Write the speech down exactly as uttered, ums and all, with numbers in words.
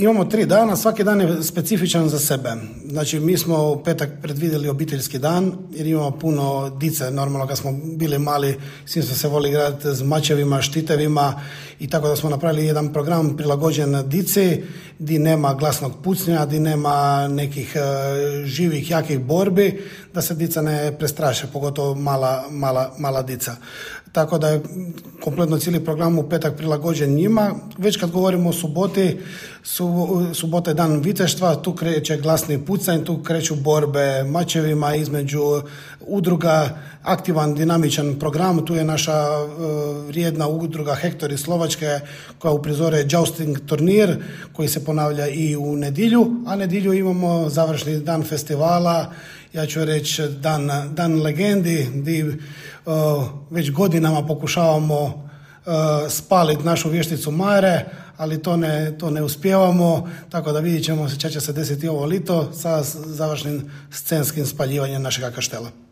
Imamo tri dana, svaki dan je specifičan za sebe. Znači, mi smo u petak predvidjeli obiteljski dan, jer imamo puno dice, normalno kad smo bili mali, svi smo se voli igrati s mačevima, štitevima i tako da smo napravili jedan program prilagođen dici, di nema glasnog pucnja, di nema nekih uh, živih, jakih borbi, da se dica ne prestraše, pogotovo mala, mala, mala dica. Tako da je kompletno cijeli program u petak prilagođen njima. Već kad govorimo o suboti, su, subota je dan viteštva, tu kreće glasni pucanj, tu kreću borbe mačevima između udruga, aktivan, dinamičan program. Tu je naša uh, vrijedna udruga Hektor iz Slovačke koja uprizore jousting turnir koji se ponavlja i u nedjelju, a nedjelju imamo završni dan festivala, ja ću reći dan, dan legendi, gdje uh, već godinama pokušavamo uh, spaliti našu vješticu Mare, ali to ne, to ne uspijevamo, tako da vidjet ćemo šta će se desiti ovo lito sa završnim scenskim spaljivanjem našega kaštela.